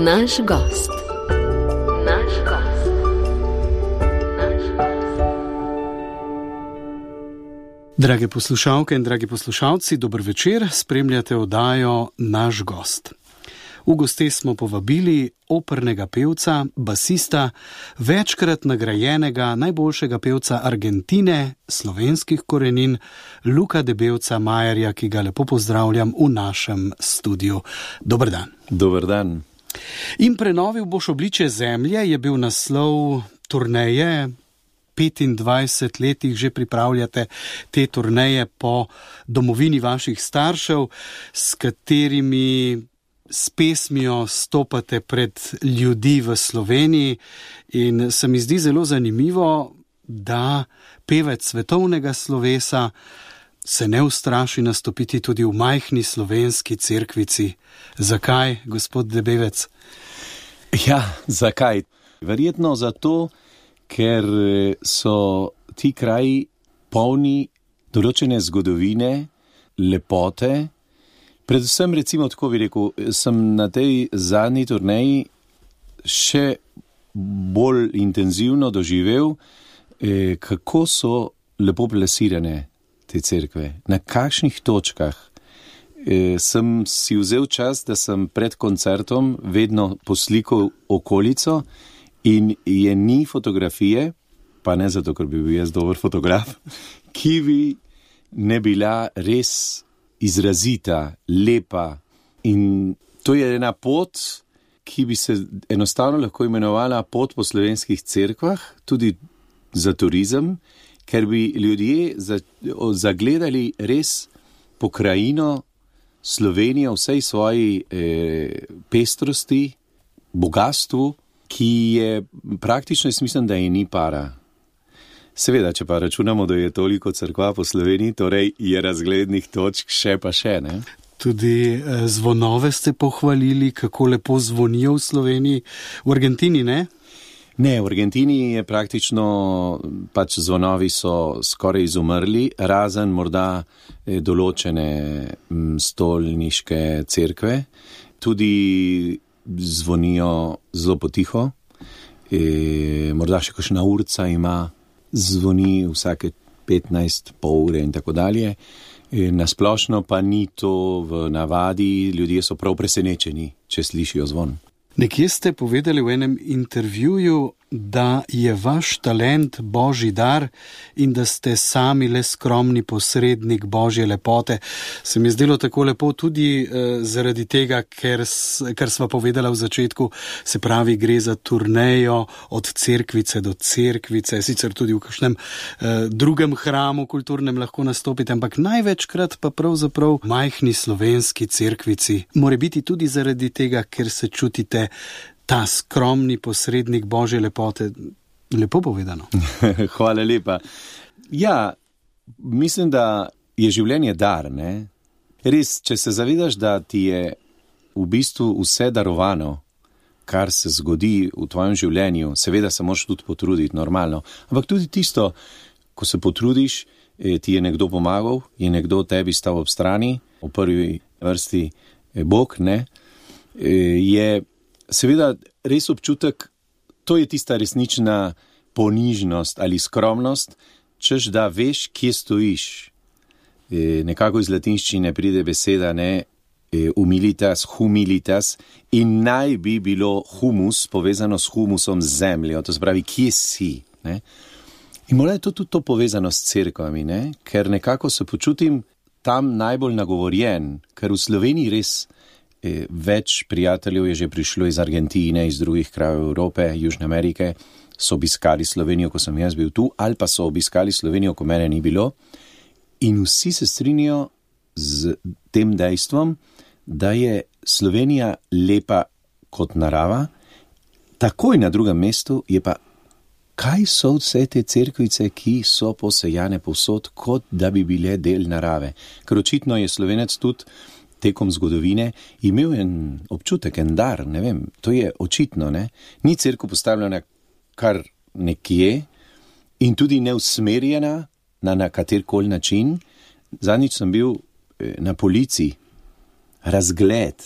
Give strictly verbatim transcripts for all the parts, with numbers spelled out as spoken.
Naš gost. Naš gost. Naš gost. Drage poslušalke in dragi poslušalci, dober večer, spremljate oddajo Naš gost. V goste smo povabili opernega pevca, basista, večkrat nagrajenega najboljšega pevca Argentine, slovenskih korenin, Luka Debevca Majerja, ki ga lepo pozdravljam v našem studiu. Dober dan. Dober dan. In prenovil boš obličje zemlje je bil naslov turneje. petindvajset letih že pripravljate te turneje po domovini vaših staršev, s katerimi s pesmijo stopate pred ljudi v Sloveniji, in se mi zdi zelo zanimivo, da pevec svetovnega slovesa se ne ustraši nastopiti tudi v majhni slovenski cerkvici. Zakaj, gospod Debevec? Ja, zakaj? Verjetno zato, ker so ti kraji polni določene zgodovine, lepote. Predvsem, recimo, tako bi rekel, sem na tej zadnji turneji še bolj intenzivno doživel, eh, kako so lepo plasirane te cerkve, na kakšnih točkah. Eh, sem si vzel čas, da sem pred koncertom vedno poslikal okolico in je ni fotografije, pa ne zato, ker bi bil jaz dober fotograf, ki bi ne bila res izrazita, lepa. In to je ena pot, ki bi se enostavno lahko imenovala pot po slovenskih cerkvah, tudi za turizem, ker bi ljudje zagledali res pokrajino Slovenijo vsej svoji eh, pestrosti, bogatstvu, ki je praktično, jaz mislim, da je ni para. Seveda, če pa računamo, da je toliko cerkva po Sloveniji, torej je razglednih točk še pa še, ne? Tudi eh, zvonove ste pohvalili, kako lepo zvonijo v Sloveniji. V Argentini, ne? Ne, v Argentini je praktično, pač zvonovi so skoraj izumrli, razen morda eh, določene m, stolniške cerkve. Tudi zvonijo zelo potiho, e, morda še kakšna urca ima, zvoni vsake petnajst, pol ure in tako dalje. E, nasplošno pa ni to v navadi, ljudje so prav presenečeni, če slišijo zvon. Nekje ste povedali v enem intervjuju, da je vaš talent božji dar in da ste sami le skromni posrednik božje lepote. Se mi je zdelo tako lepo tudi eh, zaradi tega, ker, kar sva povedala v začetku, se pravi, gre za turnejo od cerkvice do cerkvice, sicer tudi v kakšnem eh, drugem hramu kulturnem lahko nastopite, ampak največkrat pa pravzaprav v majhni slovenski cerkvici. More biti tudi zaradi tega, ker se čutite ta skromni posrednik božje lepote. Lepo povedano. Hvala lepa. Ja, mislim, da je življenje dar, ne? Res, če se zavedaš, da ti je v bistvu vse darovano, kar se zgodi v tvojem življenju, seveda se moraš tudi potruditi, normalno. Ampak tudi tisto, ko se potrudiš, ti je nekdo pomagal, je nekdo tebi stal ob strani, v prvi vrsti Bog, ne? Je seveda res občutek, to je tista resnična ponižnost ali skromnost, češ da veš, kje stojiš. E, nekako iz latinščine pride beseda, ne, e, humilitas, humilitas, in naj bi bilo humus povezano s humusom, z zemljo, to se pravi, kje si. Ne? In morda je to tudi to povezano s cerkvami, ne? Ker nekako se počutim tam najbolj nagovorjen, ker v Sloveniji res več prijateljev je že prišlo iz Argentine, iz drugih krajev Evrope, Južne Amerike, so obiskali Slovenijo, ko sem jaz bil tu, ali pa so obiskali Slovenijo, ko mene ni bilo. In vsi se strinjajo z tem dejstvom, da je Slovenija lepa kot narava, takoj na drugem mestu je pa, kaj so vse te cerkvice, ki so posejane povsod, kot da bi bile del narave. Ker očitno je Slovenec tudi tekom zgodovine imel en občutek, en dar, ne vem, to je očitno, ne. Ni cerkev postavljena kar nekje in tudi neusmerjena na, na katerkoli način. Zadnjič sem bil na Polici, razgled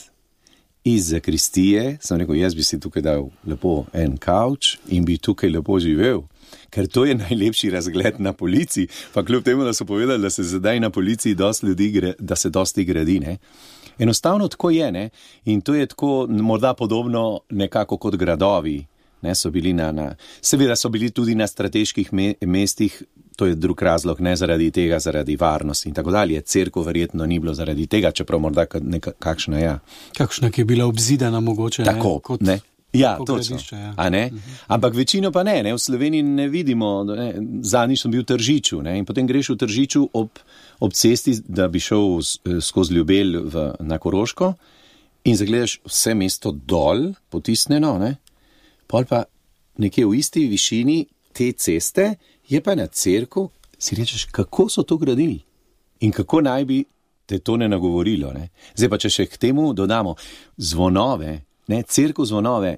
iz zakristije, sem rekel, jaz bi si tukaj dal lepo en kavč in bi tukaj lepo živel, ker to je najlepši razgled na policiji, pa kljub temu, da so povedali, da se zdaj na policiji dosti ljudi, da se dosti gradi, ne. Enostavno tako je, ne, in to je tako morda podobno nekako kot gradovi, ne, so bili na, na, seveda so bili tudi na strateških me, mestih, to je drug razlog, ne zaradi tega, zaradi varnosti in tako dalje. Cerkev verjetno ni bilo zaradi tega, čeprav morda neka, kakšna, ja. Kakšna, ki je bila obzidana mogoče, tako, ne, kot ne. Ja, točno. Ja. A ne? Uh-huh. Ampak večino pa ne, ne, v Sloveniji ne vidimo, ne, zadnjič sem bil v Tržiču, ne, in potem greš v Tržiču ob, ob cesti, da bi šel skozi Ljubelj v, na Koroško in zagledaš vse mesto dol, potisnjeno, ne, pol pa nekje v isti višini te ceste je pa na cerkev, si rečeš, kako so to gradili in kako naj bi te to ne nagovorilo, ne. Zdaj pa, če še k temu dodamo zvonove, ne, cerkev zvonove,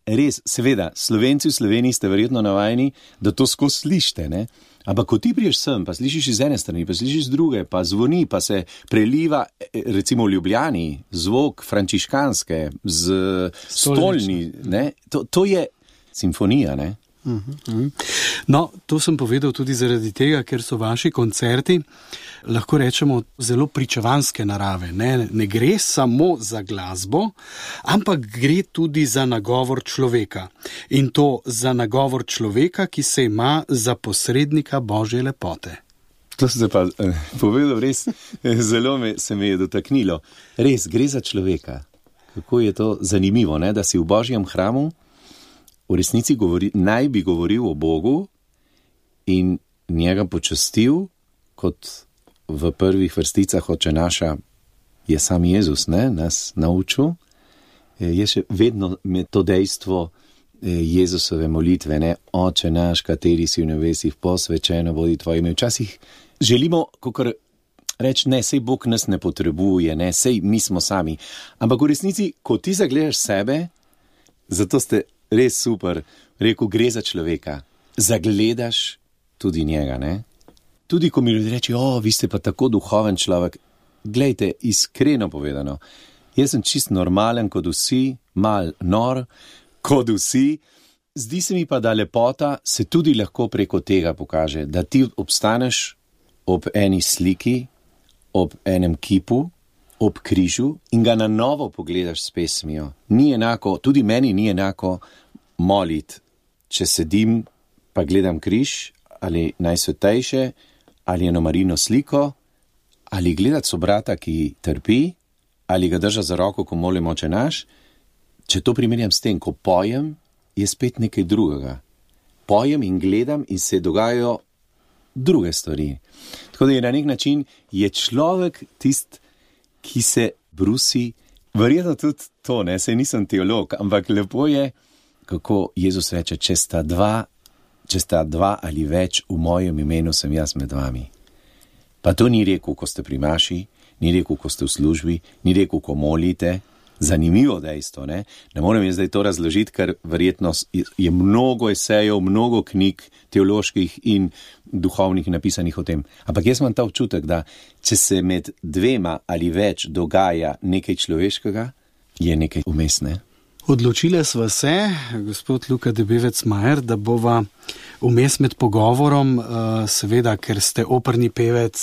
res, seveda, Slovenci v Sloveniji ste verjetno navajeni, da to skozi slišite, ne, ampak ko ti priješ sem, pa slišiš iz ene strani, pa slišiš z druge, pa zvoni, pa se preliva, recimo v Ljubljani, zvok frančiškanske, z stolni, ne, to, to je simfonija, ne. No, to sem povedal tudi zaradi tega, ker so vaši koncerti, lahko rečemo, zelo pričevanske narave. Ne, ne gre samo za glasbo, ampak gre tudi za nagovor človeka. In to za nagovor človeka, ki se ima za posrednika Božje lepote. To se pa eh, povedal res, zelo me, se me je dotaknilo. Res, gre za človeka. Kako je to zanimivo, ne, da si v Božjem hramu v resnici govori, naj bi govoril o Bogu in njega počastil, kot v prvih vrsticah Oče naša je sam Jezus, ne, nas naučil. Je še vedno med to dejstvo Jezusove molitve, ne, Oče naš, kateri si v nebesih, posvečeno bodi tvoje ime. Včasih želimo, kakor reči, ne, sej Bog nas ne potrebuje, ne, sej mi smo sami. Ampak v resnici, ko ti zagledaš sebe, zato ste res super, rekel, gre za človeka. Zagledaš tudi njega, ne? Tudi, ko mi ljudje reči, o, vi ste pa tako duhoven človek. Glejte, iskreno povedano, jaz sem čist normalen kot vsi, mal nor kot vsi. Zdi se mi pa, da lepota se tudi lahko preko tega pokaže, da ti obstaneš ob eni sliki, ob enem kipu, ob križu in ga na novo pogledaš s pesmijo. Ni enako, tudi meni ni enako molit, če sedim pa gledam križ, ali najsvetejše, ali eno Marino sliko, ali gledati sobrata, ki trpi, ali ga drža za roko, ko molim Oče naš. Če to primerjam s tem, ko pojem, je spet nekaj drugega. Pojem in gledam in se dogajajo druge stvari. Tako da je na nek način je človek tist, ki se brusi, verjetno tudi to, ne, saj nisem teolog, ampak lepo je, kako Jezus reče, če sta dva, če sta dva ali več v mojem imenu, sem jaz med vami. Pa to ni rekel, ko ste pri maši, ni rekel, ko ste v službi, ni rekel, ko molite. Zanimivo dejstvo, ne? Ne morem jaz zdaj to razložiti, ker verjetno je mnogo esejev, mnogo knjig teoloških in duhovnih napisanih o tem. Ampak jaz imam ta občutek, da če se med dvema ali več dogaja nekaj človeškega, je nekaj vmes, ne? Odločile sva se, gospod Luka Debevec-Majer, da bova vmes med pogovorom, seveda, ker ste operni pevec,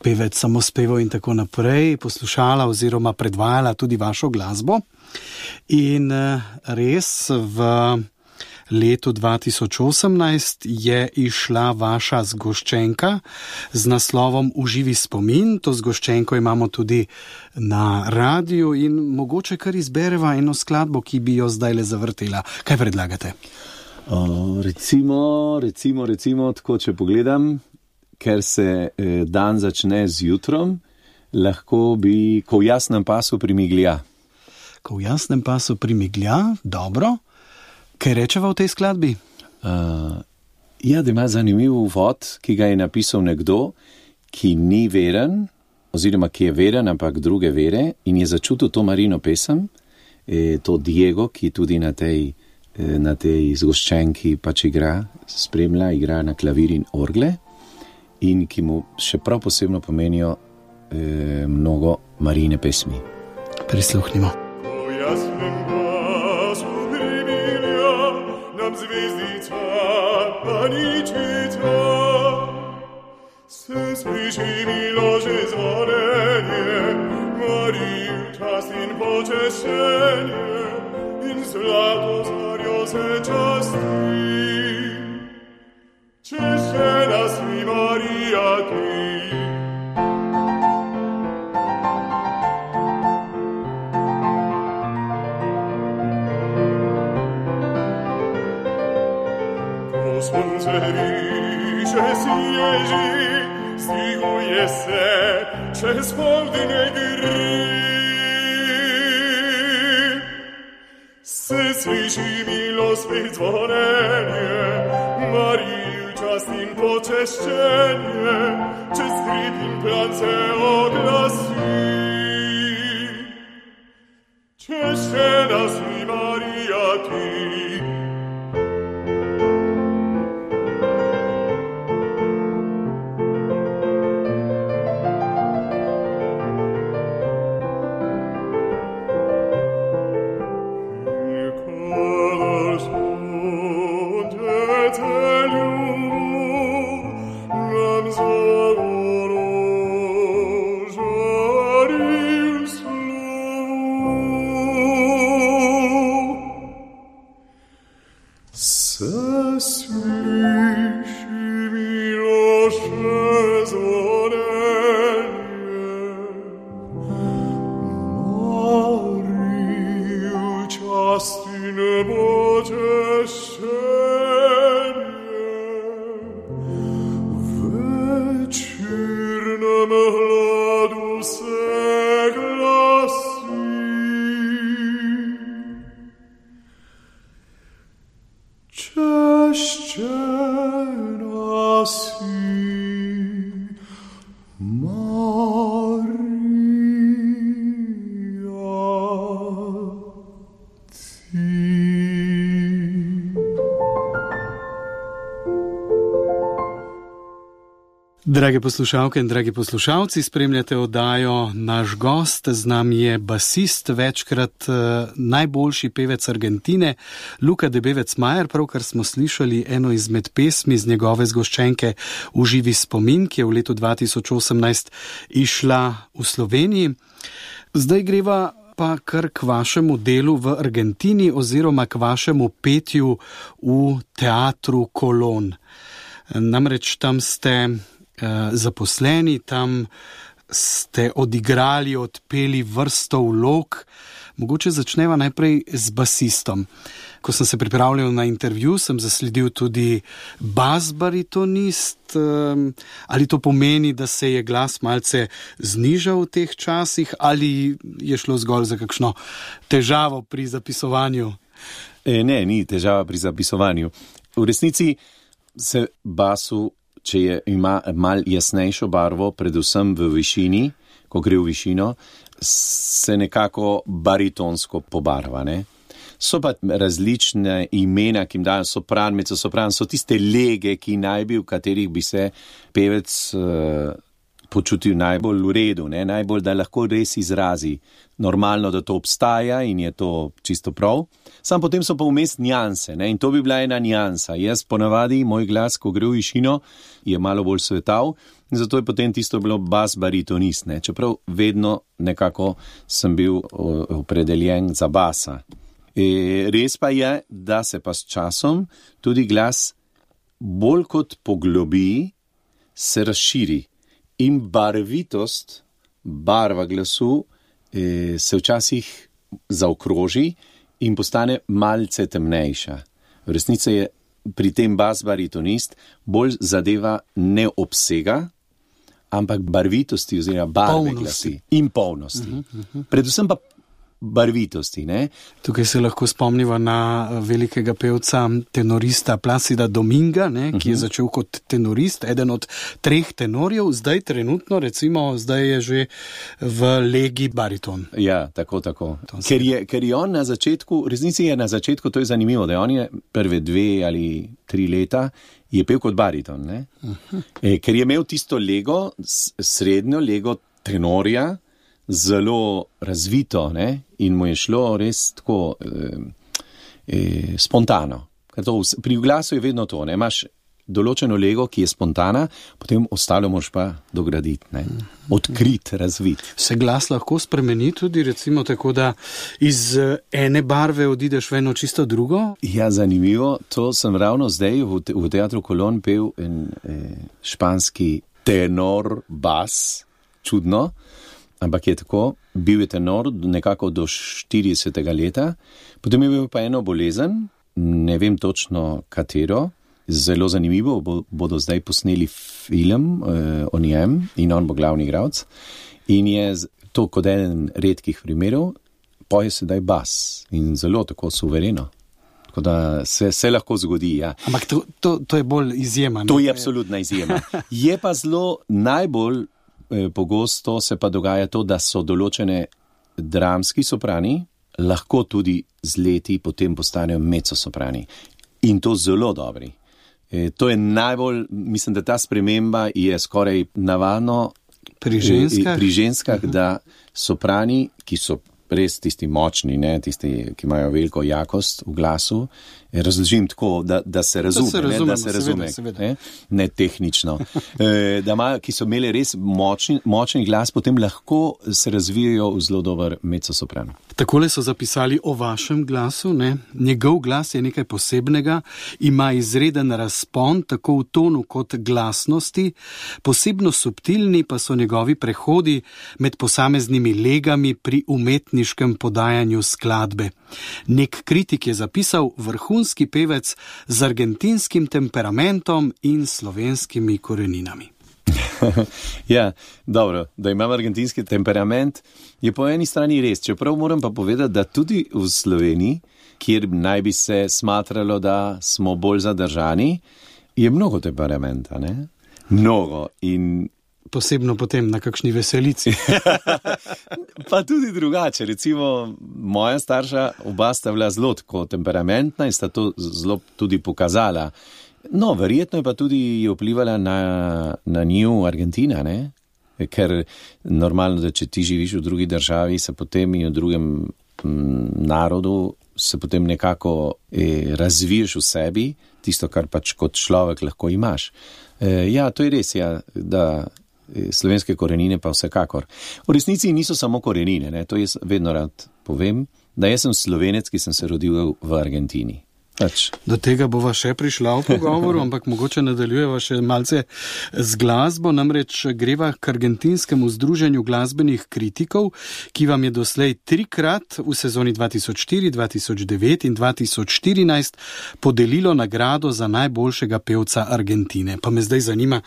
pevec samospevov in tako naprej, poslušala oziroma predvajala tudi vašo glasbo. In res v letu dva tisoč osemnajst je išla vaša zgoščenka z naslovom Uživi spomin. To zgoščenko imamo tudi na radiju in mogoče kar izbereva eno skladbo, ki bi jo zdaj le zavrtela. Kaj predlagate? O, recimo, recimo, recimo, tako če pogledam, ker se eh, dan začne z jutrom, lahko bi, ko v jasnem pasu primiglja. Ko v jasnem pasu primiglja, dobro. Kaj rečeva v tej skladbi? Uh, ja, da ima zanimiv uvod, ki ga je napisal nekdo, ki ni veren, oziroma ki je veren, ampak druge vere, in je začutil to Marino pesem, eh, to Diego, ki tudi na tej, eh, na tej zgoščenki pač igra, spremlja, igra na klavir in orgle, in ki mu še prav posebno pomenijo eh, mnogo Marine pesmi. Prisluhnimo. Se sprici milože zvonenje, Mariju čast in počešenje, in zlato zarjo se časti. Češena si, Marija, ti. Ko slunce riše si ježi, stiguje se čez poldne gri. Se sliši milo spet zvonenje, Mariju čast in počeščenje, čez strip in plan se oglasi. Češena si, Marija, ti. Drage poslušalke in dragi poslušalci, spremljate oddajo Naš gost. Z nami je basist, večkrat uh, najboljši pevec Argentine, Luka Debevec-Majer. Pravkar smo slišali eno izmed pesmi z njegove zgoščenke V živi spomin, ki je v letu dva tisoč osemnajst išla v Sloveniji. Zdaj greva pa kar k vašemu delu v Argentini oziroma k vašemu petju v teatru Kolon. Namreč tam ste zaposleni, tam ste odigrali, odpeli vrsto vlog. Mogoče začneva najprej z basistom. Ko sem se pripravljal na intervju, sem zasledil tudi bas-baritonist. Ali to pomeni, da se je glas malce znižal v teh časih, ali je šlo zgolj za kakšno težavo pri zapisovanju? E, ne, ni težava pri zapisovanju. V resnici se basu, če je, ima mal jasnejšo barvo, predvsem v višini, ko gre v višino, se nekako baritonsko pobarva, ne? So pa različne imena, ki jim dajo sopran, mezzosopran, so tiste lege, ki naj bi, v katerih bi se pevec uh, počutil najbolj v redu, ne? Najbolj, da lahko res izrazi. Normalno, da to obstaja in je to čisto prav. Sam potem so pa vmes njanse, ne? In to bi bila ena njansa. Jaz ponavadi, moj glas, ko gre v višino, je malo bolj svetav, in zato je potem tisto bilo bas-baritonist, ne? Čeprav vedno nekako sem bil opredeljen za basa. E, res pa je, da se pa s časom tudi glas bolj kot poglobi, se razširi. In barvitost, barva glasu e, se včasih zaokroži in postane malce temnejša. V resnici je pri tem bas-baritonist bolj zadeva ne obsega, ampak barvitosti oziroma barve glasi in polnosti. Uh-huh, uh-huh. Predvsem pa barvitosti, ne? Tukaj se lahko spomniva na velikega pevca, tenorista Plácida Dominga, ne, ki je začel kot tenorist, eden od treh tenorjev, zdaj trenutno, recimo, zdaj je že v legi bariton. Ja, tako, tako. Ker je, ker je on na začetku, resnici je na začetku, to je zanimivo, da on je prve dve ali tri leta je pel kot bariton, ne? Uh-huh. E, ker je imel tisto lego, srednjo lego tenorja, zelo razvito, ne? In mu je šlo res tako eh, eh, spontano. Ker to, pri glasu je vedno to, ne? Imaš določeno lego, ki je spontana, potem ostalo moraš pa dograditi, ne? Odkrit, razvit. Se glas lahko spremeni tudi, recimo tako, da iz ene barve odideš v eno čisto drugo? Ja, zanimivo, to sem ravno zdaj v, te, v Teatru Kolon pel en eh, španski tenor bas, čudno, ampak je tako, bil je tenor nekako do štiridesetega leta, potem je bil pa eno bolezen, ne vem točno katero, zelo zanimivo, bo, bodo zdaj posneli film eh, o njem in on bo glavni igralec in je to kot eden redkih primerov, poje sedaj bas in zelo tako suvereno. Tako da se, se lahko zgodi, ja. Ampak to, to, to je bolj izjema. To je absolutna izjema. Je pa zelo najbolj eh, pogosto se pa dogaja to, da so določene dramski soprani, lahko tudi z leti potem postanejo mezzosoprani. In to zelo dobri. E, to je najbolj, mislim, da ta sprememba je skoraj navadno pri ženskah, pri ženskah uh-huh. da soprani, ki so res tisti močni, ne, tisti, ki imajo veliko jakost v glasu, razložim tako, da, da se razume, da se, ne, da se razume, seveda, seveda. Ne, ne tehnično, e, da imajo, ki so imeli res močni, močni glas, potem lahko se razvijajo v zelo dober mezzosopran. Takole so zapisali o vašem glasu, ne? Njegov glas je nekaj posebnega, ima izreden razpon, tako v tonu kot glasnosti, posebno subtilni pa so njegovi prehodi med posameznimi legami pri umetniškem podajanju skladbe. Nek kritik je zapisal vrhunski pevec z argentinskim temperamentom in slovenskimi koreninami. Ja, dobro, da imam argentinski temperament, je po eni strani res, čeprav moram pa povedati, da tudi v Sloveniji, kjer naj bi se smatralo, da smo bolj zadržani, je mnogo temperamenta, ne? Mnogo in... Posebno potem na kakšni veselici. Pa tudi drugače, recimo moja starša, oba sta bila zelo tako temperamentna in sta to zelo tudi pokazala. No, verjetno je pa tudi vplivala na, na nju Argentina, ne? Ker normalno, da če ti živiš v drugi državi, se potem in v drugem m, narodu, se potem nekako e, razviješ v sebi, tisto, kar pač kot človek lahko imaš. E, ja, to je res, ja, da e, slovenske korenine pa vsekakor. V resnici niso samo korenine, ne? To jaz vedno rad povem, da jaz sem Slovenec, ki sem se rodil v Argentini. Pač. Do tega bova še prišla v pogovoru, ampak mogoče nadaljujeva še malce z glasbo, namreč greva k argentinskemu združenju glasbenih kritikov, ki vam je doslej trikrat v sezoni dva tisoč štiri, dva tisoč devet in dva tisoč štirinajst podelilo nagrado za najboljšega pevca Argentine. Pa me zdaj zanima,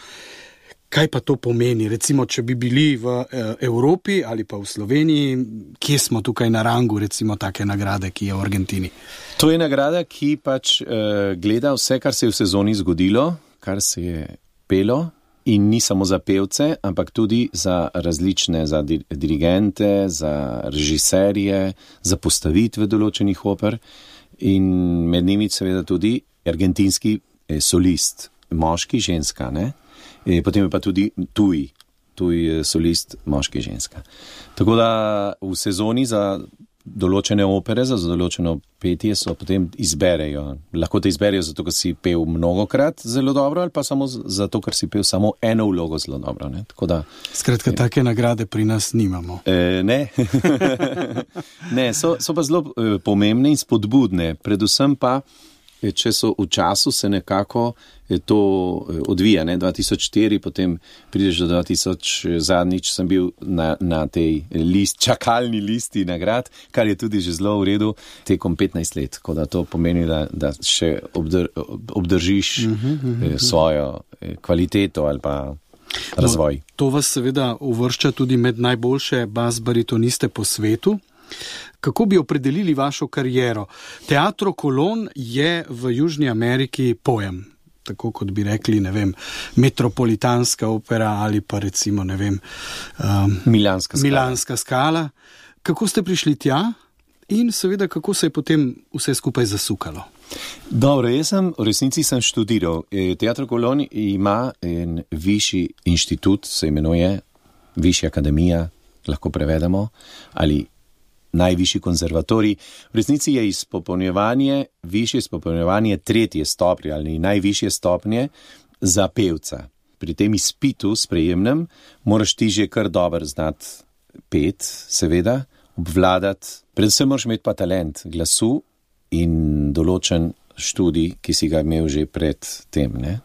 kaj pa to pomeni? Recimo, če bi bili v Evropi ali pa v Sloveniji, kje smo tukaj na rangu, recimo, take nagrade, ki je v Argentini? To je nagrada, ki pač uh, gleda vse, kar se je v sezoni zgodilo, kar se je pelo in ni samo za pevce, ampak tudi za različne, za dir- dirigente, za režiserje, za postavitve določenih oper in med njimi seveda tudi argentinski eh, solist, moški, ženska, ne? E, potem je pa tudi tuj, tuj solist, moški, ženska. Tako da v sezoni za določene opere, za določeno petje so potem izberejo. Lahko te izberejo zato, ker si pel mnogokrat zelo dobro ali pa samo zato, ker si pel samo eno vlogo zelo dobro. Ne? Tako da, Skratka, je, take nagrade pri nas nimamo. E, ne, ne so, so pa zelo e, pomembne in spodbudne, predvsem pa če so v času se nekako to odvija, ne, dva tisoč štiri, potem prideš do dva tisoč, zadnjič sem bil na, na tej list, čakalni listi nagrad, kar je tudi že zelo v redu, tekom petnajst let, tako da to pomeni, da, da še obdr, obdržiš uh-huh, uh-huh. svojo kvaliteto ali pa razvoj. No, to vas seveda uvršča tudi med najboljše bas-baritoniste po svetu. Kako bi opredelili vašo kariero? Teatro Kolon je v Južni Ameriki pojem, tako kot bi rekli, ne vem, metropolitanska opera ali pa recimo, ne vem, um, Milanska skala. Milanska skala. Kako ste prišli tja in seveda kako se je potem vse skupaj zasukalo? Dobro, jaz sem, v resnici sem študiral. Teatro Kolon ima en višji inštitut, se imenuje Višja akademija lahko prevedemo, ali najvišji konzervatorij. V resnici je izpopolnjevanje, višje izpopolnjevanje tretje stopnje ali najvišje stopnje za pevca. Pri tem izpitu sprejemnem moraš ti že kar dobro znati pet, seveda, obvladati. Predvsem moraš imeti pa talent glasu in določen študij, ki si ga imel že pred tem, ne?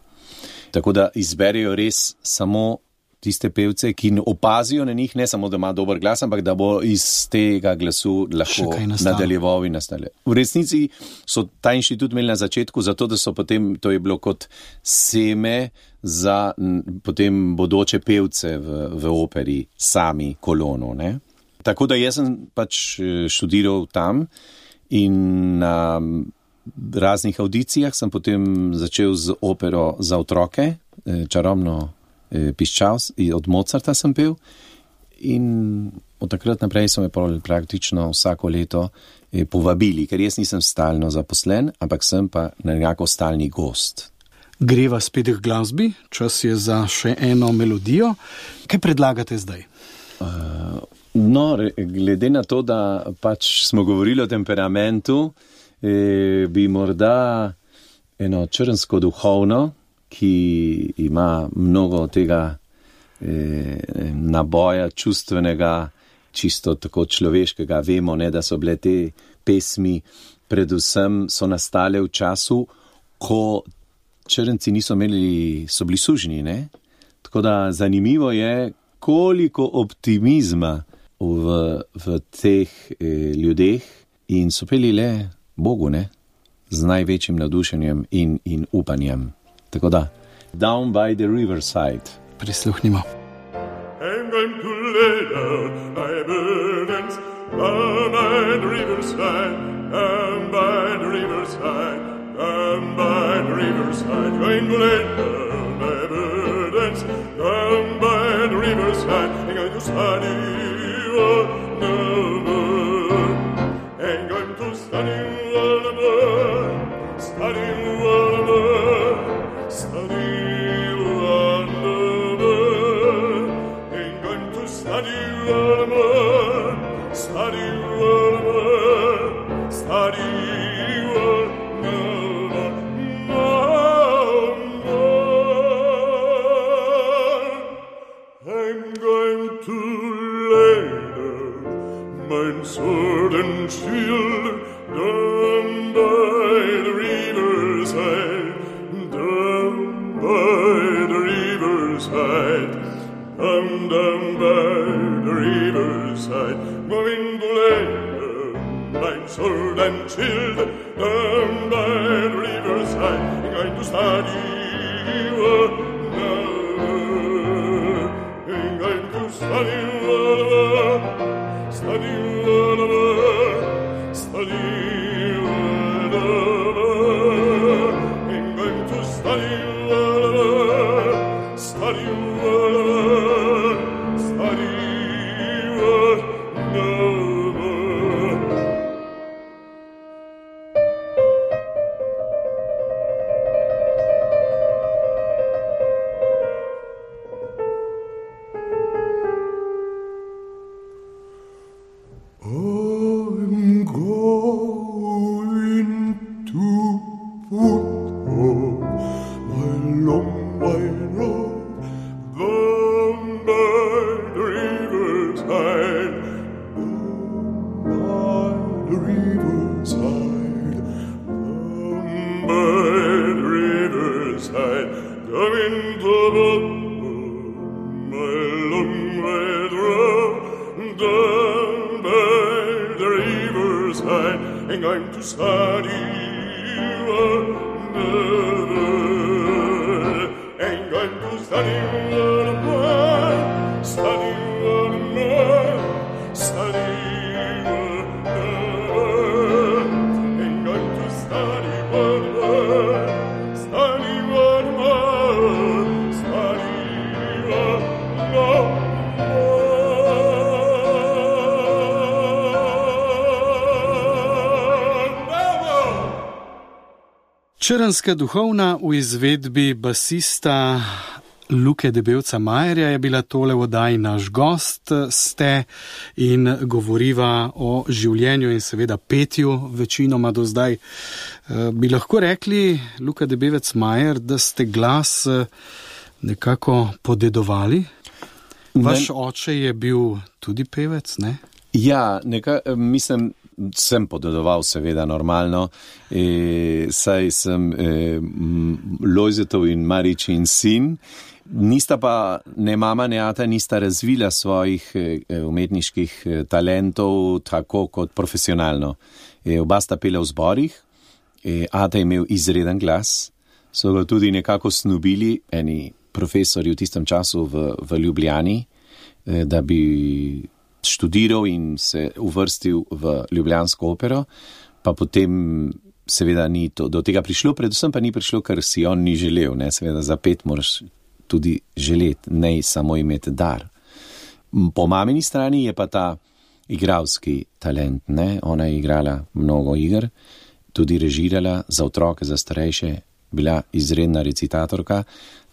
Tako da izberejo res samo tiste pevce, ki opazijo na njih, ne samo, da ima dober glas, ampak da bo iz tega glasu lahko nadaljeval in nastavljal. V resnici so ta inštitut imeli na začetku, zato da so potem, to je bilo kot seme za potem bodoče pevce v, v operi, sami kolono, ne. Tako da jaz sem pač študiral tam in na raznih audicijah sem potem začel z opero za otroke, čarobno piščal, od Mozarta sem pel in od takrat naprej so me praktično vsako leto povabili, ker jaz nisem stalno zaposlen, ampak sem pa nekako stalni gost. Greva spet k glasbi, čas je za še eno melodijo. Kaj predlagate zdaj? Uh, no, glede na to, da pač smo govorili o temperamentu, eh, bi morda eno črnsko duhovno, ki ima mnogo tega eh, naboja čustvenega, čisto tako človeškega. Vemo, ne, da so bile te pesmi, predvsem so nastale v času, ko črnci niso imeli, so bili sužnji, ne? Tako da zanimivo je, koliko optimizma v, v teh eh, ljudeh in so peli le Bogu, ne? Z največjim navdušenjem in, in upanjem. Tako da, Down by the Riverside. Prisluhnimo. I'm going to lay down my burdens down by the riverside, down by the riverside, down by the riverside. Going to lay down my burdens down by the riverside. I'm going to study all the more. I'm going to study all the more. Study all the more. Study wonderful, ain't going to study wonderful, study wonderful, study wonderful, no more. I'm going to lay down my sword and shield down by the riverside. By the riverside, down, down by the riverside, going to lay down my sword and shield, down by the riverside, I'm going to study what now, I'm going to study what, study what, study what, I'm going to study. Study what, study what, no more. I'm going to put on my long white robe down by the riverside, down by the riverside, down by the riverside, coming to put my long white robe down by the riverside, and I'm to study wonderful. I'm going to study what more, study what more, study what more. I'm going to study what more, study what more, study what more. Črnska duhovna v izvedbi basista Luke Debevca Majerja je bila tole v oddaji Naš gost, ste in govoriva o življenju in seveda petju večinoma do zdaj. Bi lahko rekli, Luka Debevec Majer, da ste glas nekako podedovali? Vaš ne... oče je bil tudi pevec, ne? Ja, neka, mislim, sem podedoval seveda normalno, e, saj sem e, Lojzetov in Maričin sin, nista pa ne mama, ne ata, nista razvila svojih e, umetniških e, talentov tako kot profesionalno. E, oba sta pela v zborih, e, ata je imel izreden glas, so ga tudi nekako snubili eni profesori v tistem času v, v Ljubljani, e, da bi študiral in se uvrstil v ljubljansko opero, pa potem seveda ni to, do tega prišlo, predvsem pa ni prišlo, ker si on ni želel, ne, seveda za pet moraš tudi želeti, ne samo imeti dar. Po mamini strani je pa ta igralski talent, ne, ona je igrala mnogo iger, tudi režirala za otroke, za starejše, bila izredna recitatorka,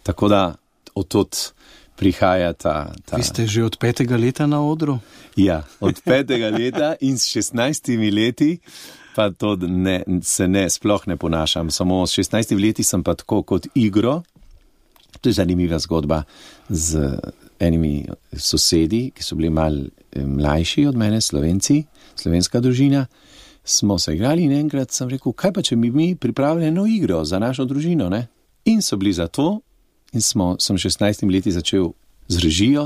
tako da odtot prihaja ta, ta... Vi ste že od petega leta na odru? Ja, od petega leta in s šestnajstimi leti pa to ne, se ne, sploh ne ponašam. Samo s šestnajstimi leti sem pa tako kot igro, to je zanimiva zgodba, z enimi sosedi, ki so bili mal mlajši od mene, Slovenci, slovenska družina, smo se igrali in enkrat sem rekel, kaj pa če bi mi pripravili eno igro za našo družino, ne? In so bili za to. In smo, sem šestnajstimi leti začel z režijo,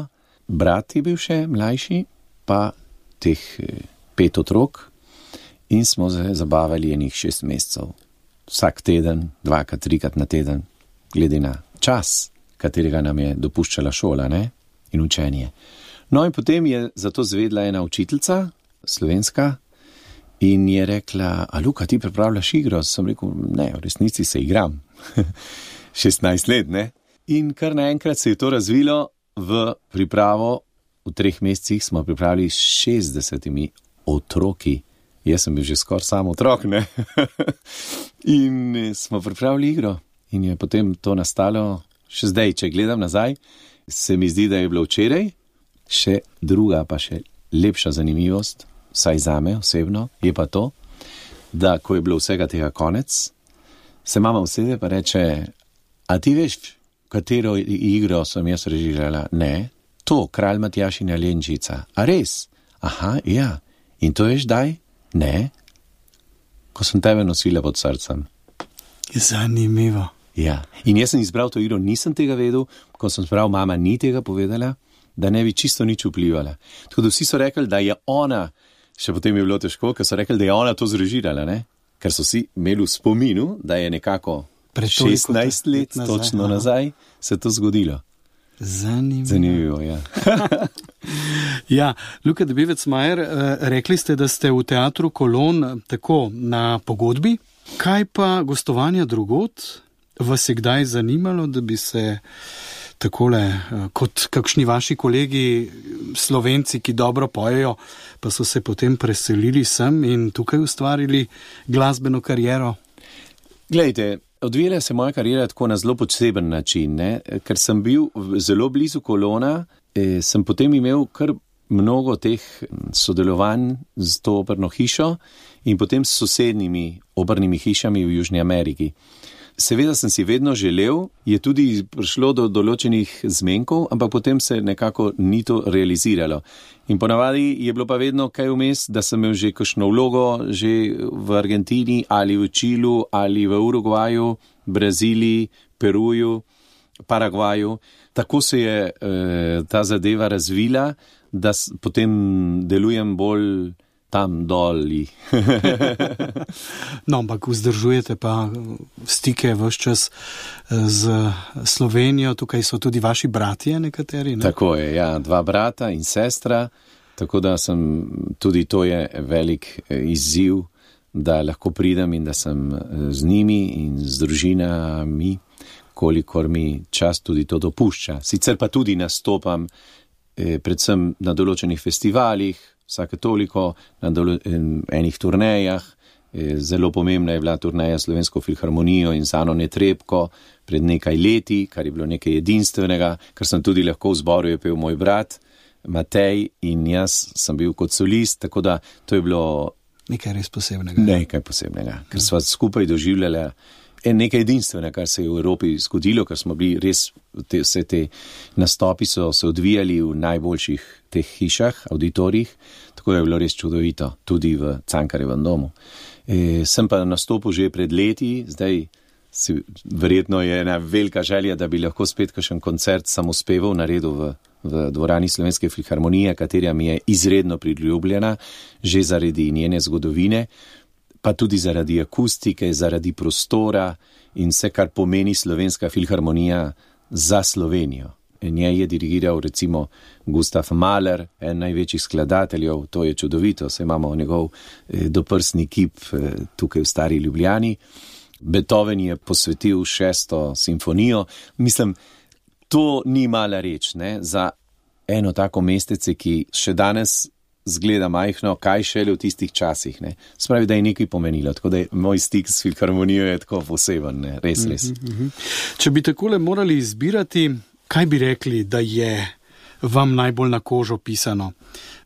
brat je bil še mlajši, pa teh pet otrok in smo se zabavali enih šest mesecev. Vsak teden, dvakrat, trikrat na teden, glede na čas, katerega nam je dopuščala šola, ne? In učenje. No in potem je zato zvedla ena učiteljica, slovenska, in je rekla, a Luka, ti pripravljaš igro? Sem rekel, ne, v resnici se igram. šestnajst let, ne? In kar naenkrat se je to razvilo v pripravo, v treh mesecih smo pripravili s šestdesetimi otroki. Jaz sem bil že skoraj sam otrok, ne? In smo pripravili igro in je potem to nastalo, še zdaj, če gledam nazaj, se mi zdi, da je bilo včeraj, še druga pa še lepša zanimivost, vsaj zame osebno, je pa to, da ko je bilo vsega tega konec, se mama usede pa reče, a ti veš, katero igro sem jaz režirala? Ne, to, Kralj Matjaž in Alenčica. A res? Aha, ja. In to veš daj? Ne. Ko sem tebe nosila pod srcem. Zanimivo. Ja. In jaz sem izbral to igro, nisem tega vedel, ko sem izbral, mama ni tega povedala, da ne bi čisto nič vplivala. Tako da vsi so rekli, da je ona, še potem je bilo težko, ker so rekli, da je ona to zrežirala, ne? Ker so si imeli v spominu, da je nekako šestnajst let, nazaj, točno aha. nazaj, se to zgodilo. Zanimivo. Zanimivo, ja. Ja, Luka Debevec Majer, rekli ste, da ste v teatru Kolon tako na pogodbi. Kaj pa gostovanja drugod? Vas je kdaj zanimalo, da bi se takole, kot kakšni vaši kolegi Slovenci, ki dobro pojejo, pa so se potem preselili sem in tukaj ustvarili glasbeno kariero? Glejte, odvijala se moja karijera tako na zelo poseben način, ne? Ker sem bil zelo blizu Kolona, eh, sem potem imel kar mnogo teh sodelovanj z to operno hišo in potem s sosednjimi opernimi hišami v Južni Ameriki. Seveda sem si vedno želel, je tudi prišlo do določenih zmenkov, ampak potem se nekako ni to realiziralo. In ponavadi je bilo pa vedno kaj vmes, da sem imel že kakšno vlogo, že v Argentini ali v Čilu ali v Urugvaju, Braziliji, Peruju, Paragvaju. Tako se je eh, ta zadeva razvila, da s, potem delujem bolj tam doli. No, ampak vzdržujete pa stike vse čas z Slovenijo, tukaj so tudi vaši bratje nekateri, ne? Tako je, ja, dva brata in sestra, tako da sem, tudi to je velik izziv, da lahko pridem in da sem z njimi in z družinami, kolikor mi čas tudi to dopušča. Sicer pa tudi nastopam eh, predvsem na določenih festivalih, vsake toliko, na dolo- enih turnejah, Zelo pomembna je bila turneja Slovensko filharmonijo in z Ano Netrebko pred nekaj leti, kar je bilo nekaj edinstvenega, kar sem tudi lahko v zboru je pel moj brat Matej in jaz sem bil kot solist, tako da to je bilo nekaj res posebnega. Nekaj posebnega, ker sva skupaj doživljala nekaj edinstvenega, kar se je v Evropi zgodilo, ker smo bili res, te, vse te nastopi so se odvijali v najboljših teh hišah, auditorijih, tako je bilo res čudovito, tudi v Cankarjevem domu. E, sem pa nastopil že pred leti, zdaj si, verjetno je ena velika želja, da bi lahko spet kakšen koncert samospevov naredil v, v dvorani Slovenske filharmonije, katera mi je izredno priljubljena, že zaradi njene zgodovine, pa tudi zaradi akustike, zaradi prostora in vse, kar pomeni Slovenska filharmonija za Slovenijo. Njej je dirigiral recimo Gustav Mahler, en največjih skladateljev, to je čudovito, saj imamo njegov eh, doprsni kip eh, tukaj v Stari Ljubljani. Beethoven je posvetil šesto simfonijo. Mislim, to ni mala reč, ne, za eno tako mestece, ki še danes zgleda majhno, kaj šele v tistih časih, ne. Spravi, da je nekaj pomenilo, tako da je moj stik s filharmonijo je tako poseben, ne, res, res. Mm-hmm. Če bi takole morali izbirati, kaj bi rekli, da je vam najbolj na kožo pisano?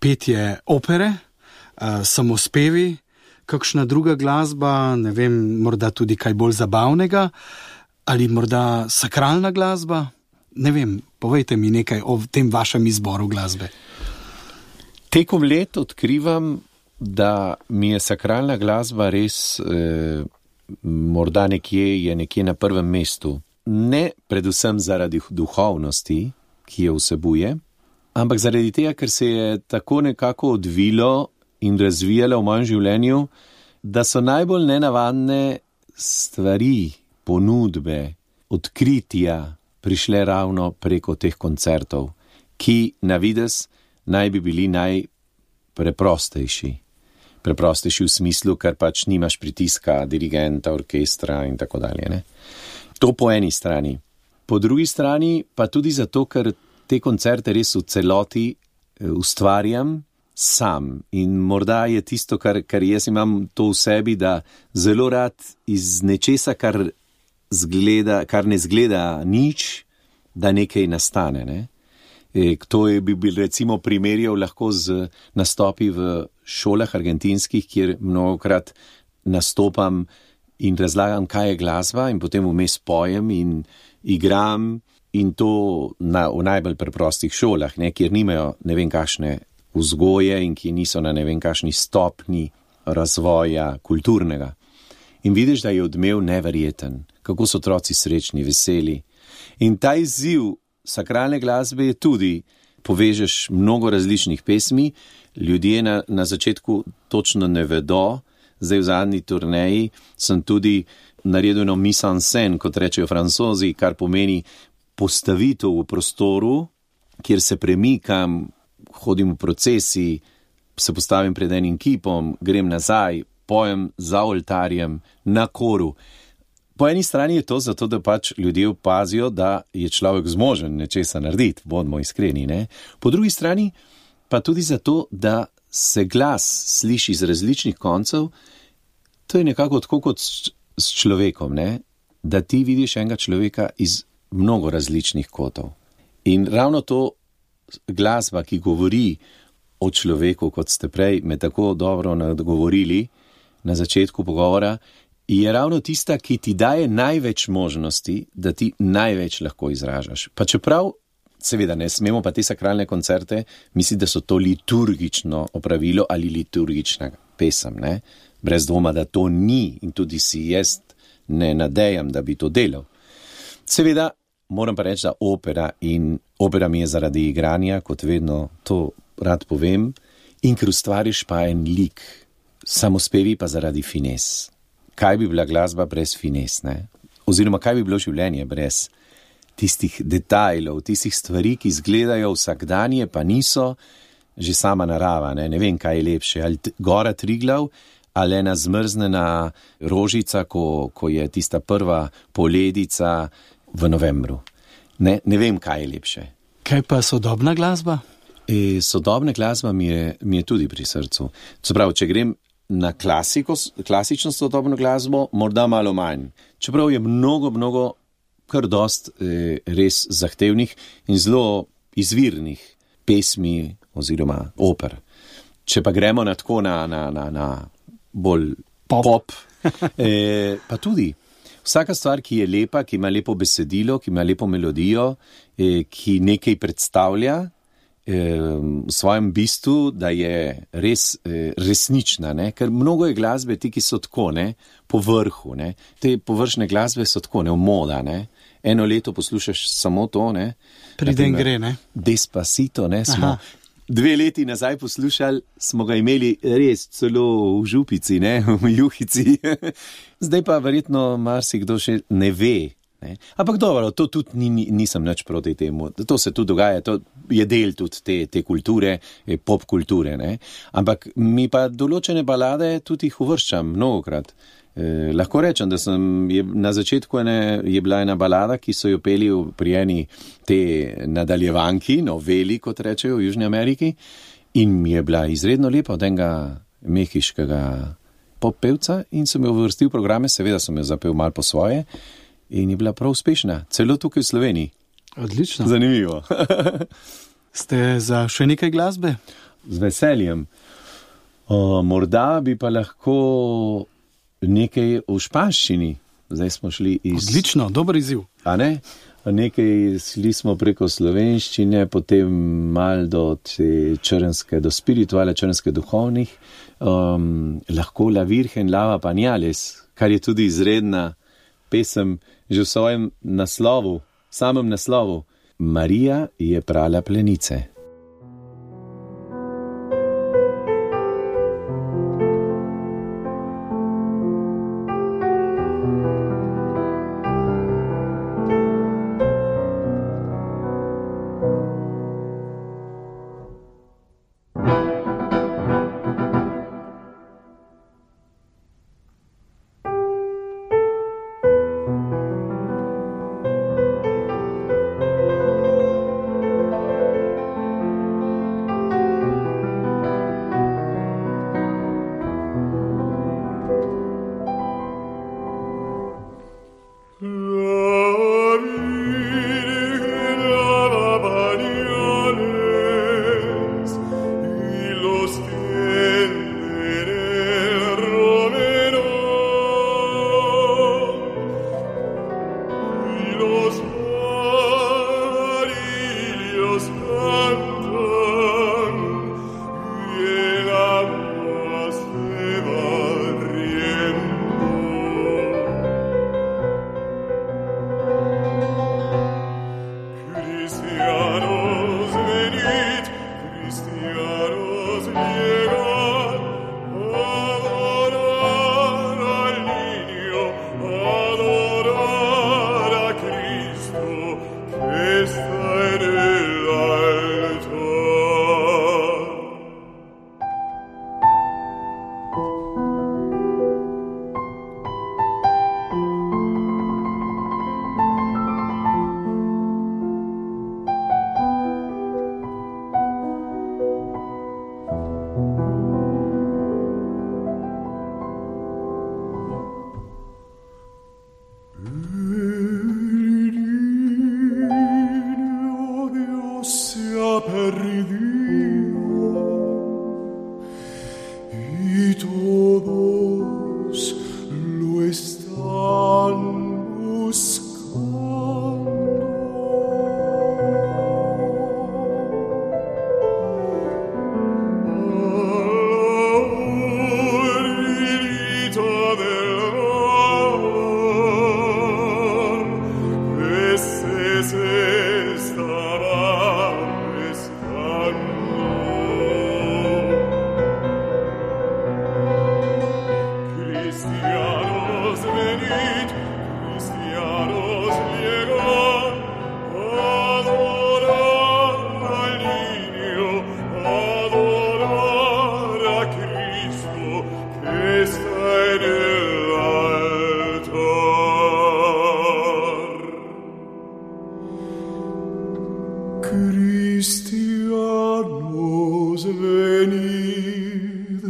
Petje opere, samospevi, kakšna druga glasba, ne vem, morda tudi kaj bolj zabavnega, ali morda sakralna glasba? Ne vem, povejte mi nekaj o tem vašem izboru glasbe. Tekom let odkrivam, da mi je sakralna glasba res eh, morda nekje, je nekje na prvem mestu. Ne predvsem zaradi duhovnosti, ki jo vsebuje, ampak zaradi tega, ker se je tako nekako odvilo in razvijalo v mojem življenju, da so najbolj nenavadne stvari, ponudbe, odkritja prišle ravno preko teh koncertov, ki na videz naj bi bili najpreprostejši. Preprostejši v smislu, ker pač nimaš pritiska dirigenta, orkestra in tako dalje, ne. To po eni strani. Po drugi strani pa tudi zato, ker te koncerte res v celoti ustvarjam sam. In morda je tisto, kar, kar jaz imam to v sebi, da zelo rad iz nečesa, kar, zgleda, kar ne zgleda nič, da nekaj nastane. Ne? E, to je bi bil recimo primerjal lahko z nastopi v šolah argentinskih, kjer mnogokrat nastopam in razlagam, kaj je glasba in potem vmes pojem in igram in to na, v najbolj preprostih šolah, ne, kjer nimajo ne vem kakšne vzgoje in ki niso na ne vem kakšni stopni razvoja kulturnega. In vidiš, da je odmev neverjeten, kako so otroci srečni, veseli. In ta izziv sakralne glasbe je tudi, povežeš mnogo različnih pesmi, ljudje na, na začetku točno ne vedo. Zdaj v zadnji turneji sem tudi naredil eno mise en scène, kot rečejo Francozi, kar pomeni postavitev v prostoru, kjer se premikam, hodim v procesi, se postavim pred enim kipom, grem nazaj, pojem za oltarjem, na koru. Po eni strani je to zato, da pač ljudje opazijo, da je človek zmožen nečesa narediti, bodimo iskreni, ne? Po drugi strani pa tudi zato, da se glas sliši z različnih koncev, to je nekako tako kot s, s človekom, ne? Da ti vidiš enega človeka iz mnogo različnih kotov. In ravno to glasba, ki govori o človeku, kot ste prej me tako dobro nagovorili na začetku pogovora, je ravno tista, ki ti daje največ možnosti, da ti največ lahko izražaš. Pa čeprav seveda ne smemo pa te sakralne koncerte misliti, da so to liturgično opravilo ali liturgična pesem, ne? Brez dvoma, da to ni in tudi si jaz ne nadejam, da bi to delal. Seveda moram pa reči, da opera in opera mi je zaradi igranja, kot vedno to rad povem, in ker ustvariš pa en lik, samospevi pa zaradi fines. Kaj bi bila glasba brez fines, ne? Oziroma kaj bi bilo življenje brez tistih detajlov, tistih stvari, ki izgledajo vsakdanje, pa niso, že sama narava, ne, ne vem, kaj je lepše, ali t- gora Triglav, ali ena zmrznena rožica, ko, ko je tista prva poledica v novembru. Ne, ne vem, kaj je lepše. Kaj pa sodobna glasba? E, sodobna glasba mi je, mi je tudi pri srcu. Se pravi, če grem na klasiko, klasično sodobno glasbo, morda malo manj. Čeprav je mnogo, mnogo, kar dost eh, res zahtevnih in zelo izvirnih pesmi oziroma oper. Če pa gremo na tako na, na, na, na bolj pop, pop eh, pa tudi vsaka stvar, ki je lepa, ki ima lepo besedilo, ki ima lepo melodijo, eh, ki nekaj predstavlja eh, v svojem bistvu, da je res eh, resnična, ne? Ker mnogo je glasbe ti, ki so tako, ne? Po vrhu, ne? Te površne glasbe so tako, ne? V moda, ne? Eno leto poslušaš samo to, ne? Pride in gre, ne? Despacito, ne? Smo Aha. Dve leti nazaj poslušali, smo ga imeli res celo v župici, ne, v juhici. Zdaj pa verjetno marsikdo še ne ve. Ne. Ampak dobro, to tudi ni, nisem nič proti temu. To se tudi dogaja, to je del tudi te, te kulture, pop kulture. Ne. Ampak mi pa določene balade tudi jih uvrščam mnogokrat. Eh, lahko rečem, da sem je, na začetku ene, je bila ena balada, ki so jo peli pri eni te nadaljevanki, noveli, kot rečejo v Južni Ameriki, in mi je bila izredno lepa od enega mehiškega pop pevca in sem jo uvrstil v programe, seveda sem jo zapel malo po svoje in je bila prav uspešna, celo tukaj v Sloveniji. Odlično. Zanimivo. Ste za še nekaj glasbe? Z veseljem. O, morda bi pa lahko nekaj v španščini. Zdaj smo šli iz... Odlično, dober izziv. A ne? Nekaj šli smo preko slovenščine, potem mal do te črnske, do spirituale črnske duhovnih. Um, lahko La Virgen Lava Pañales, kar je tudi izredna pesem že v svojem naslovu, samem naslovu. Marija je prala plenice. Cristianos venid,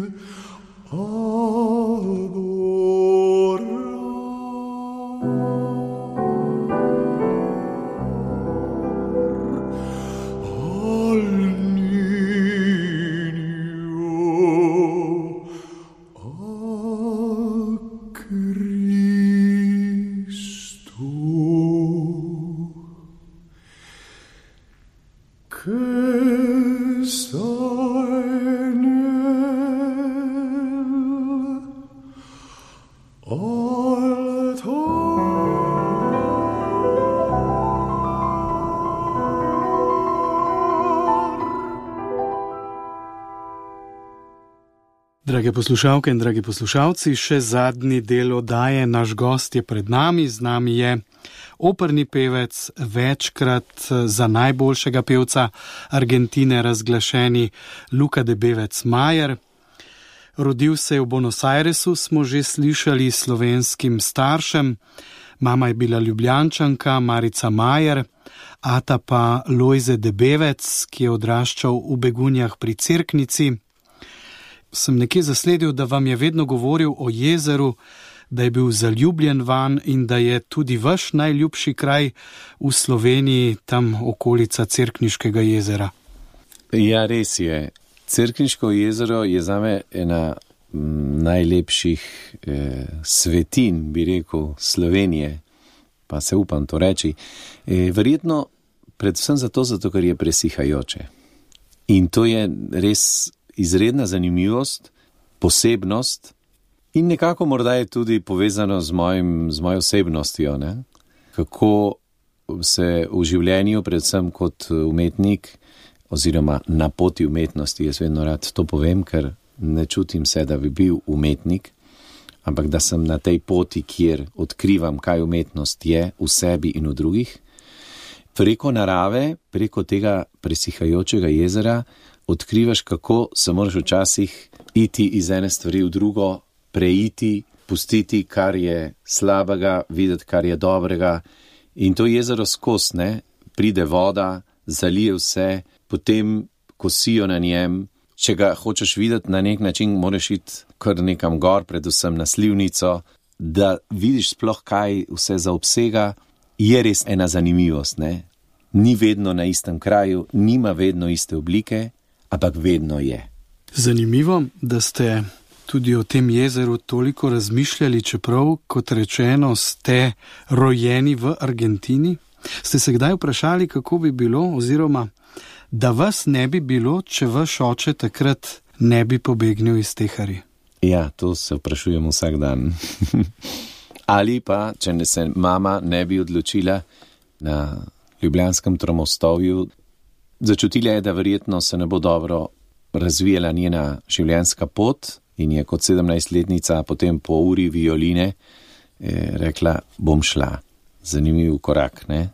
Drage poslušalke in dragi poslušalci, še zadnji del oddaje, naš gost je pred nami, z nami je operni pevec, večkrat za najboljšega pevca Argentine razglašeni Luka de Bevec Majer. Rodil se je v Buenos Airesu, smo že slišali, slovenskim staršem, mama je bila Ljubljančanka Marica Majer, ata pa Lojze de Bevec, ki je odraščal v Begunjah pri Cerknici. Sem nekje zasledil, da vam je vedno govoril o jezeru, da je bil zaljubljen vanj in da je tudi vaš najljubši kraj v Sloveniji, tam okolica Cerkniškega jezera. Ja, res je. Cerkniško jezero je zame ena najlepših eh, svetin, bi rekel, Slovenije, pa se upam to reči. Eh, verjetno predvsem zato, zato, ker je presihajoče. In to je res izredna zanimivost, posebnost in nekako morda je tudi povezano z, mojim, z mojo osebnostjo, ne? Kako se v življenju, predvsem kot umetnik oziroma na poti umetnosti, jaz vedno rad to povem, ker ne čutim se, da bi bil umetnik, ampak da sem na tej poti, kjer odkrivam, kaj umetnost je v sebi in v drugih. Preko narave, preko tega presihajočega jezera odkrivaš, kako se moraš včasih iti iz ene stvari v drugo, preiti, pustiti, kar je slabega, videti, kar je dobrega. In to jezero skozi, ne, pride voda, zalije vse, potem kosijo na njem. Če ga hočeš videti na nek način, moraš iti kar nekam gor, predvsem na Slivnico, da vidiš sploh, kaj vse zaobsega. Je res ena zanimivost, ne. Ni vedno na istem kraju, nima vedno iste oblike, ampak vedno je. Zanimivo, da ste tudi o tem jezeru toliko razmišljali, čeprav, kot rečeno, ste rojeni v Argentini. Ste se kdaj vprašali, kako bi bilo, oziroma da vas ne bi bilo, če vaš oče takrat ne bi pobegnil iz Tehari? Ja, to se vprašujem vsak dan. Ali pa, če ne se mama ne bi odločila na Ljubljanskem Tromostovju, začutila je, da verjetno se ne bo dobro razvijala njena življenjska pot in je kot sedemnajstletnica potem po uri violine eh, rekla, bom šla. Zanimiv korak, ne?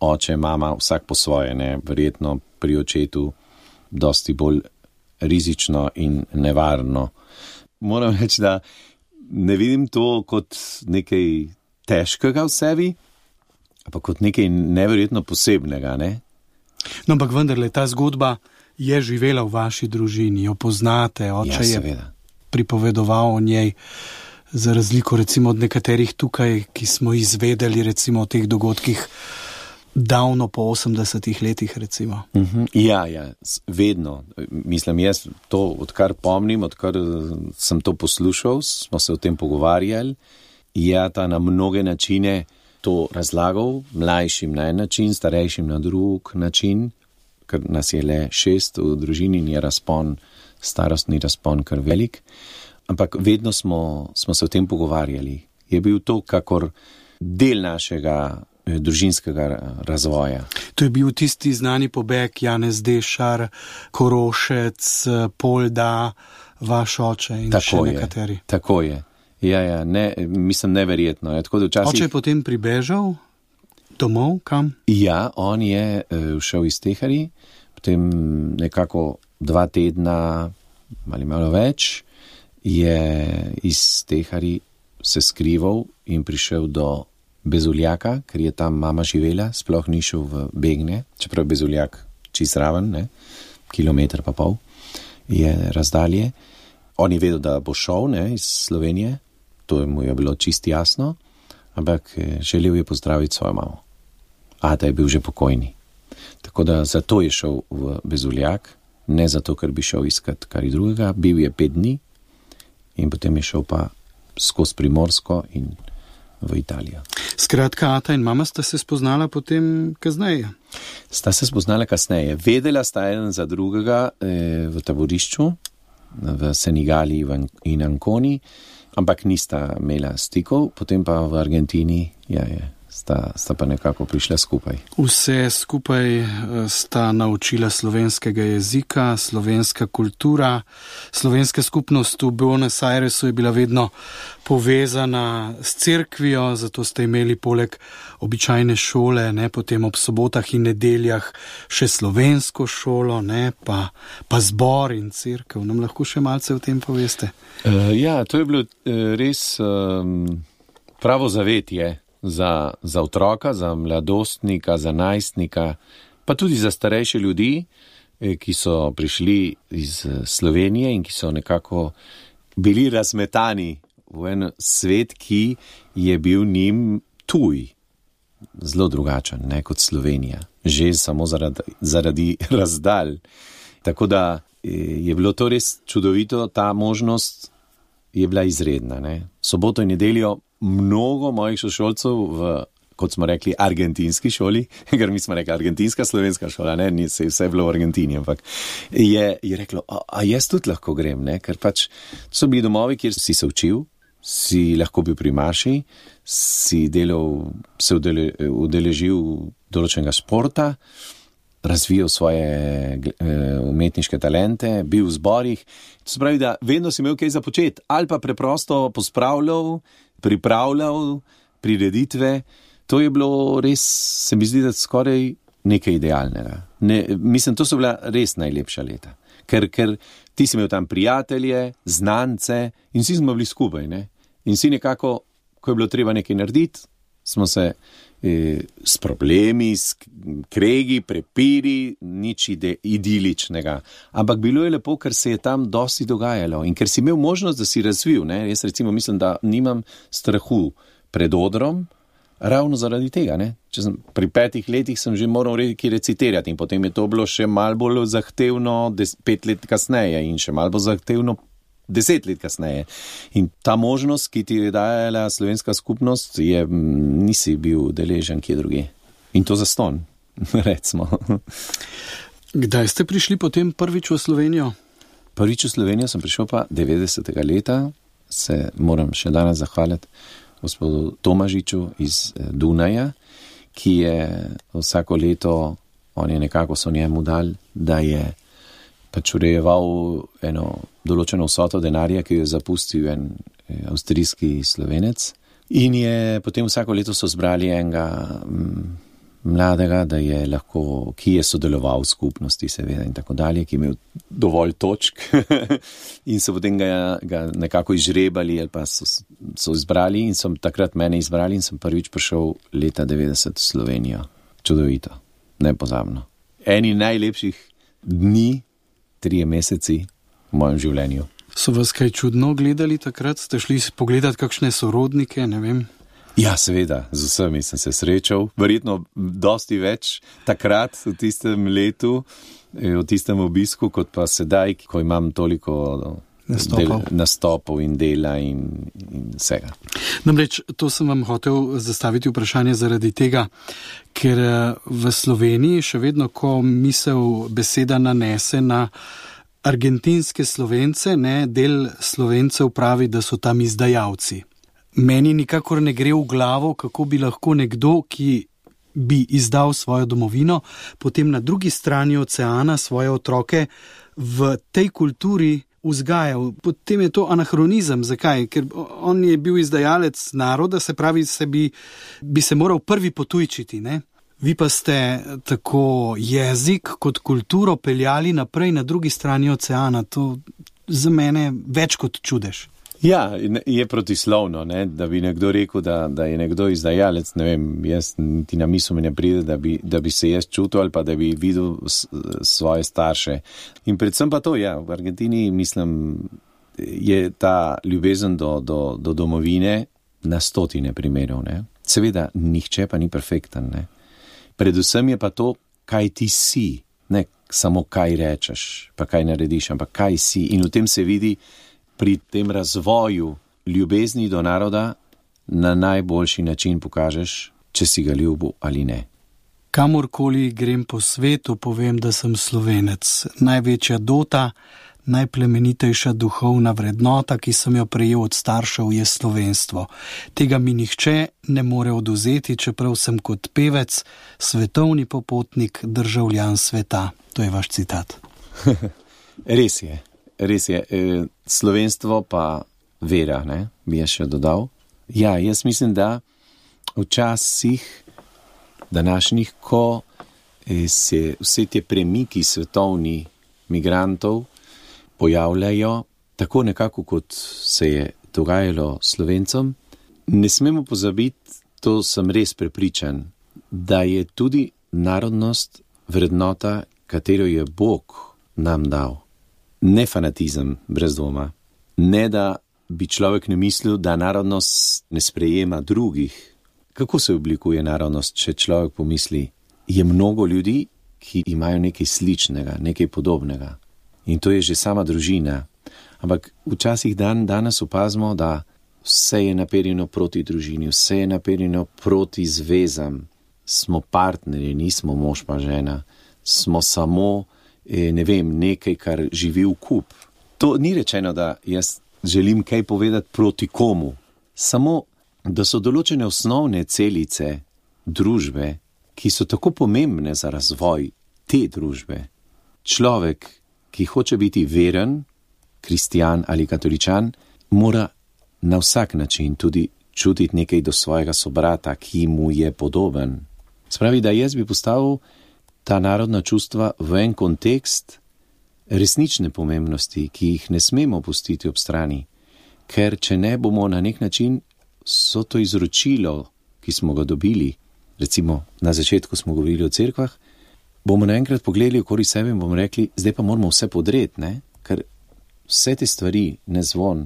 Oče, mama, vsak po svoje, ne? Verjetno pri očetu dosti bolj rizično in nevarno. Moram reči, da ne vidim to kot nekaj težkega v sebi, ampak kot nekaj neverjetno posebnega, ne? No, ampak vendarle, ta zgodba je živela v vaši družini, jo poznate, oče Ja, je pripovedoval o njej, za razliko recimo od nekaterih tukaj, ki smo izvedeli recimo o teh dogodkih davno po osemdesetih letih recimo. Uh-huh. Ja, ja, vedno. Mislim, jaz to, odkar pomnim, odkar sem to poslušal, smo se o tem pogovarjali, ja, ta na mnoge načine to razlagal, mlajšim na en način, starejšim na drug način, ker nas je le šest v družini in je razpon, starostni razpon kar velik, ampak vedno smo, smo se o tem pogovarjali. Je bil to kakor del našega eh, družinskega razvoja. To je bil tisti znani pobeg Janez Dešar, Korošec, Polda, vaš oče in tako še nekateri. Je, tako je. Ja, ja, ne, mislim neverjetno. Je, tako da včasih... Oče je potem pribežal domov, kam? Ja, on je uh, šel iz Tehari, potem nekako dva tedna ali malo več je iz Tehari se skrival in prišel do Bezuljaka, ker je tam mama živela, sploh ni šel v Begne, čeprav Bezuljak čist raven, ne, kilometer pa pol je razdalje. On je vedel, da bo šel, ne, iz Slovenije, to mu je bilo čist jasno, ampak želel je pozdraviti svojo mamo. A da je bil že pokojni. Tako da zato je šel v Bezuljak, ne zato, ker bi šel iskat kar drugega, bil je pet dni in potem je šel pa skozi Primorsko in v Italijo. Skratka, ata in mama sta se spoznala potem kasneje. Sta se spoznala kasneje. Vedela sta eden za drugega eh, v taborišču, v Senegali in Anconi, ampak nista imela stikov, potem pa v Argentini ja, je, sta, sta pa nekako prišla skupaj. Vse skupaj sta naučila slovenskega jezika, slovenska kultura, slovenska skupnost v Buenos Airesu je bila vedno povezana s cerkvijo, zato ste imeli poleg običajne šole, ne, potem ob sobotah in nedeljah še slovensko šolo, ne, pa, pa zbor in cerkev. Nam lahko še malce o tem poveste? Uh, ja, to je bilo uh, res um, pravo zavetje za, za otroka, za mladostnika, za najstnika, pa tudi za starejše ljudi, eh, ki so prišli iz Slovenije in ki so nekako bili razmetani v en svet, ki je bil njim tuj, zelo drugačen, ne kot Slovenija, že samo zaradi, zaradi razdalj. Tako da je bilo to res čudovito, ta možnost je bila izredna. Ne. Soboto in nedeljo mnogo mojih sošolcev v, kot smo rekli, argentinski šoli, ker mi smo rekli argentinska slovenska šola, ne, ni se vse bilo v Argentini, ampak je, je reklo, a, a jaz tudi lahko grem, ne, ker pač so bili domovi, kjer si se učil, si lahko bil pri maši, si delal, se udele, udeležil določenega športa, razvijal svoje umetniške talente, bil v zborih, to se pravi, da vedno si imel kaj za početi, ali pa preprosto pospravljal, pripravljal prireditve. To je bilo res, se mi zdi, da skoraj nekaj idealnega. Ne, mislim, to so bila res najlepša leta. Ker, ker ti si imel tam prijatelje, znance in vsi smo bili skupaj. Ne? In vsi nekako, ko je bilo treba nekaj narediti, smo se eh, s problemi, s kregi, prepiri, nič ide, idiličnega. Ampak bilo je lepo, ker se je tam dosti dogajalo in ker si imel možnost, da si razvil. Ne? Jaz recimo mislim, da nimam strahu pred odrom, ravno zaradi tega. Ne? Če sem, pri petih letih sem že moral redki recitirati in potem je to bilo še malo bolj zahtevno des, pet let kasneje in še malo bolj zahtevno deset let kasneje. In ta možnost, ki ti je dajala slovenska skupnost, je, nisi bil deležen kje druge. In to zastonj, recimo. Kdaj ste prišli potem prvič v Slovenijo? Prvič v Slovenijo sem prišel pa devetdesetega leta, se moram še danes zahvaliti gospodu Tomažiču iz Dunaja, ki je vsako leto, on je nekako so njemu dal, da je pač urejeval eno določeno vsoto denarja, ki jo je zapustil en avstrijski Slovenec. In je potem vsako leto so zbrali enega m, mladega, da je lahko, ki je sodeloval v skupnosti seveda in tako dalje, ki je imel dovolj točk in so potem ga, ga nekako izžrebali ali pa so, so izbrali in so takrat mene izbrali in sem prvič prišel leta devetdeset v Slovenijo. Čudovito, nepozabno. Eni najlepših dni, trije meseci v mojem življenju. So vas kaj čudno gledali takrat? Ste šli pogledati kakšne sorodnike, ne vem? Ja, seveda, z vsemi sem se srečal. Verjetno dosti več takrat v tistem letu, v tistem obisku, kot pa sedaj, ko imam toliko nastopov, del, nastopov in dela in, in vsega. Namreč, to sem vam hotel zastaviti vprašanje zaradi tega, ker v Sloveniji še vedno, ko misel beseda nanese na argentinske Slovence, ne, del Slovencev pravi, da so tam izdajalci. Meni nikakor ne gre v glavo, kako bi lahko nekdo, ki bi izdal svojo domovino, potem na drugi strani oceana svoje otroke v tej kulturi vzgajal. Potem je to anahronizem. Zakaj? Ker on je bil izdajalec naroda, se pravi, se bi, bi se moral prvi potujčiti, ne? Vi pa ste tako jezik kot kulturo peljali naprej na drugi strani oceana. To za mene več kot čudež. Ja, je protislovno, ne? Da bi nekdo rekel, da, da je nekdo izdajalec, ne vem, jaz ti na misel mi ne pride, da bi, da bi se jaz čutil ali pa da bi videl s, svoje starše. In predvsem pa to, ja, v Argentini, mislim, je ta ljubezen do, do, do domovine na stotine primerov, ne? Seveda, nihče pa ni perfekten, ne? Predvsem je pa to, kaj ti si, ne samo kaj rečeš, pa kaj narediš, ampak kaj si. In v tem se vidi pri tem razvoju ljubezni do naroda na najboljši način pokažeš, če si ga ljubil ali ne. Kamorkoli grem po svetu, povem, da sem Slovenec. Največja dota, najplemenitejša duhovna vrednota, ki sem jo prejel od staršev, je slovenstvo. Tega mi nihče ne more odvzeti, čeprav sem kot pevec, svetovni popotnik, državljan sveta. To je vaš citat. Res je, res je. E, slovenstvo pa vera, ne, bi jaz še dodal. Ja, jaz mislim, da včasih današnjih, ko se vse te premiki svetovni migrantov pojavljajo, tako nekako kot se je dogajalo Slovencem, ne smemo pozabiti, to sem res prepričan, da je tudi narodnost vrednota, katero je Bog nam dal. Ne fanatizem, brez dvoma. Ne, da bi človek ne mislil, da narodnost ne sprejema drugih. Kako se oblikuje narodnost, če človek pomisli? Je mnogo ljudi, ki imajo nekaj sličnega, nekaj podobnega. In to je že sama družina. Ampak včasih dan danes opazimo, da vse je naperjeno proti družini, vse je naperjeno proti zvezam. Smo partnerji, nismo mož pa žena. Smo samo, ne vem, nekaj, kar živi v kup. To ni rečeno, da jaz želim kaj povedati proti komu. Samo, da so določene osnovne celice družbe, ki so tako pomembne za razvoj te družbe. Človek, ki hoče biti veren, kristjan ali katoličan, mora na vsak način tudi čutiti nekaj do svojega sobrata, ki mu je podoben. Spravi, da jaz bi postavil ta narodna čustva v en kontekst resnične pomembnosti, ki jih ne smemo pustiti ob strani, ker če ne bomo na nek način so to izročilo, ki smo ga dobili, recimo na začetku smo govorili o cerkvah, bomo naenkrat pogledali okoli sebe in bomo rekli, zdaj pa moramo vse podreti, ne? Ker vse te stvari, ne zvon,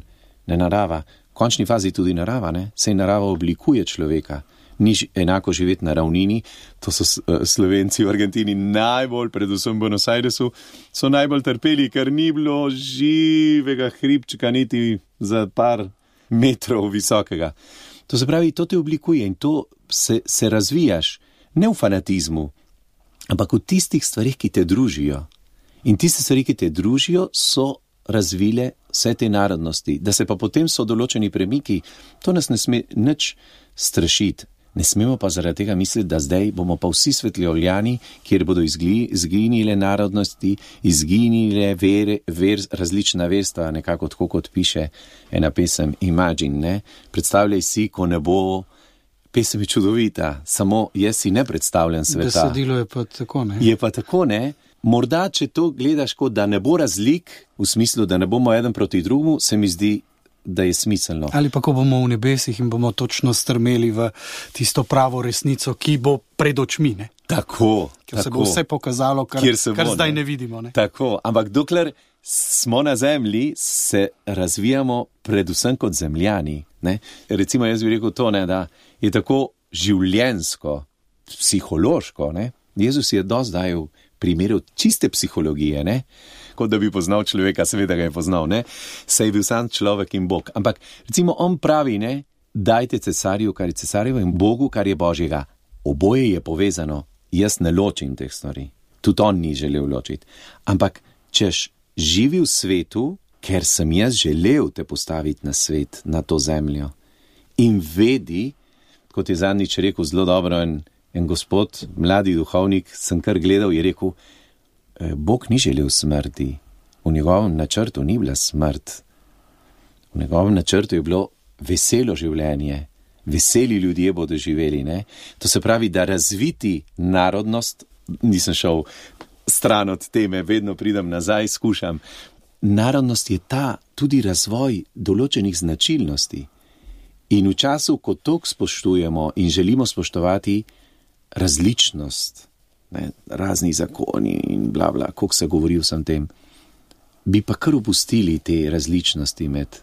ne narava, v končni fazi tudi narava, ne? Sej narava oblikuje človeka, ni enako živeti na ravnini, to so Slovenci v Argentini najbolj, predvsem v Buenos Airesu, so najbolj trpeli, ker ni bilo živega hribčka niti za par metrov visokega. To se pravi, to te oblikuje in to se, se razvijaš, ne v fanatizmu, ampak v tistih stvarih, ki te družijo. In tiste stvari, ki te družijo, so razvile vse te narodnosti. Da se pa potem so določeni premiki, to nas ne sme nič strašiti. Ne smemo pa zaradi tega misliti, da zdaj bomo pa vsi svetljavljani, kjer bodo izgli, izginile narodnosti, izginile vere, ver, različna verstva, nekako tako kot piše ena pesem Imagine, ne? Predstavljaj si, ko ne bo, pesem je čudovita, samo jaz si ne predstavljam sveta. Besedilo je pa tako, ne? Je pa tako, ne? Morda, če to gledaš kot, da ne bo razlik, v smislu, da ne bomo eden proti drugemu, se mi zdi, da je smiselno. Ali pa ko bomo v nebesih in bomo točno strmeli v tisto pravo resnico, ki bo pred očmi, ne? Tako, Ker tako. se bo vse pokazalo, kar, kar bo, zdaj ne? ne vidimo, ne? Tako, ampak dokler smo na zemlji, se razvijamo predvsem kot zemljani, ne? Recimo jaz bi rekel to, ne, da je tako življenjsko, psihološko, ne? Jezus je dosti dajal primerov čiste psihologije, ne? Kot da bi poznal človeka, seveda ga je poznal, ne? Saj je bil sam človek in Bog. Ampak recimo on pravi, ne, dajte cesarju, kar je cesarjevo, in Bogu, kar je Božjega. Oboje je povezano. Jaz ne ločim teh stvari. Tudi on ni želel ločiti. Ampak češ živi v svetu, ker sem jaz želel te postaviti na svet, na to zemljo. In vedi, kot je zadnjič rekel zelo dobro en, en gospod, mladi duhovnik, sem kar gledal, je rekel, Bog ni želel smrti. V njegovem načrtu ni bila smrt. V njegovem načrtu je bilo veselo življenje. Veseli ljudje bodo živeli, ne? To se pravi, da razviti narodnost, nisem šel stran od teme, vedno pridem nazaj, skušam. Narodnost je ta tudi razvoj določenih značilnosti. In v času, ko toliko spoštujemo in želimo spoštovati različnost, ne, razni zakoni in bla bla, koliko se govori vsem tem, bi pa kar opustili te različnosti med,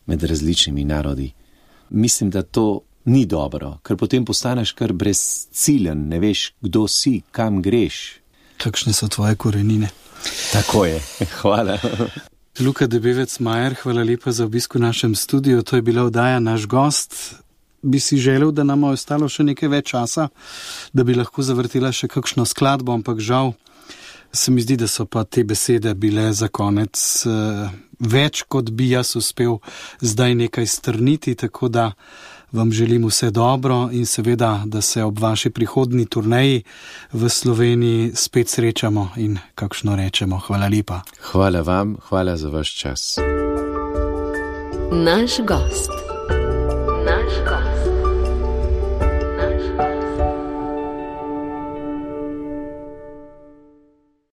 med različnimi narodi. Mislim, da to ni dobro, ker potem postaneš kar brezciljen, ne veš, kdo si, kam greš. Kakšne so tvoje korenine? Tako je, hvala. Luka Debevec Majer, hvala lepa za obisk v našem studiu, to je bila oddaja Naš gost. Bi si želel, da nam je ostalo še nekaj več časa, da bi lahko zavrtela še kakšno skladbo, ampak žal Se mi zdi, da so pa te besede bile za konec uh, več, kot bi jaz uspel zdaj nekaj strniti, tako da vam želim vse dobro in seveda, da se ob vaši prihodnji turneji v Sloveniji spet srečamo in kakšno rečemo. Hvala lepa. Hvala vam, hvala za vaš čas. Naš gost.